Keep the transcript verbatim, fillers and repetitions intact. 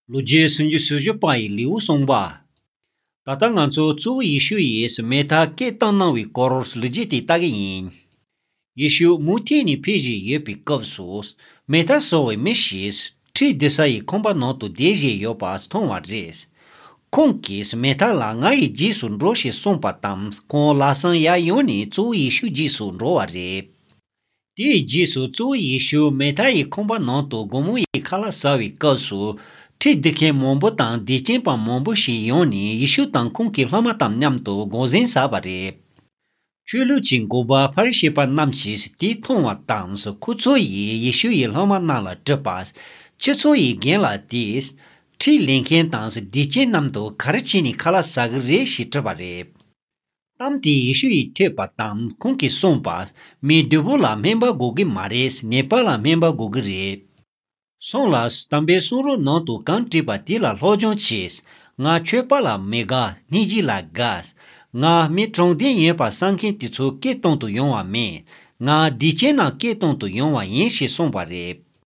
ལོ་རྒྱུས་སུམ་ཅུ་སོ་བཞི་པ་ཡི་ལེའུ་གསུངས་པ། ད་ལྟ་ང་ཚོ་གཙོ་བོ་ཡེ་ཤུ་ཡིས་མེ་མཐའ་སྐད་བཏང་གནང་བའི་སྐོར་ལོ་རྒྱུས་དེ་ལྟ་གི་ཡིན། ཡེ་ཤུ་མུ་མཐུད་ནས་ཕེབས་བཞིན་ཡོད་པའི་སྐབས་སུ། མེ་མཐའ་བཟོ་བའི་མི་ཞིག་ཁྲི་བསྡུ་ས་ཡི་ཁང་པ་ནང་དུ་བསྡད་བཞིན་ཡོད་པ་མཐོང་བ་རེད། ཁོང་གིས་མེ་མཐའ་ལ་ང་ཡི་རྗེས་སུ་འགྲོ་ཞེས་གསུངས་པ་དང་ཁོང་ལམ་སང་ཡར་ཡོང་ནས་གཙོ་བོ་ཡེ་ཤུ་རྗེས་སུ་འགྲོ་བ་རེད། དེའི་རྗེས་སུ་གཙོ་བོ་ཡེ་ཤུ་མེ་མཐའ་ཡི་ཁང་པ་ནང་དུ་དགོང་མོ་ཡི་ཁ་ལག་ཟ་བའི་སྐབས་སུ། ཁྲི་བསྡུ་མཁན་མང་པོ་དང་སྡིག་ཅན་པ་མང་པོ་ཞིག་ཡོང་ནས་ཡེ་ཤུ་དང་ཁོང་གི་སློབ་མ་དང་མཉམ་དུ་དགོངས་ཟིན་བཟའ་བ་རེད། ཆོས་ལུགས་ཀྱི་འགོ་པ་ཕ་རི་ཤི་པ་རྣམས་ཀྱིས་དེ་མཐོང་བ་དང་ཁོ་ཚོ་ཡིས་ཡེ་ཤུ་ཡི་སློབ་མ་རྣམས་ལ་དྲིས་པ། ཁྱེད་ཚོ་ཡི་རྒན་ལགས་དེས། ཁྲི་ལེན་མཁན་དང་སྡིག་ཅན་རྣམས་དང་ག་རེ་བྱས་ནས་ཁ་ལག་ཟ་གི་རེད་ཞེས་དྲིས་པ་རེད། གཏམ་དེ་ཡེ་ཤུ་ཡིས་ཐོས་པ་དང་ཁོང་གིས་གསུངས་པ། མི་བདུད་པོ་ལ་སྨན་པ་དགོས་ཀྱི་མ་རེད། ནད་པ་ལ་སྨན་པ་དགོས་ཀྱི་རེད། སོང་ལ་དམ་པའི་གསུང་རབ་ནང་དུ་གང་བྲིས་པ་དེ་ལ་སློབ་སྦྱོང་བྱས། ང་ཆོས་པ་ལ་མི་དགའ། སྙིང་རྗེ་ལ་དགའ། ང་མི་དྲང་བདེན་ཡིན་པ་བསམ་མཁན་དེ་ཚོ་སྐད་གཏོང་དུ་ཡོང་བ་མེད། ང་སྡིག་ཅན་རྣམས་སྐད་གཏོང་དུ་ཡོང་བ་ཡིན་ཞེས་གསུངས་པ་རེད།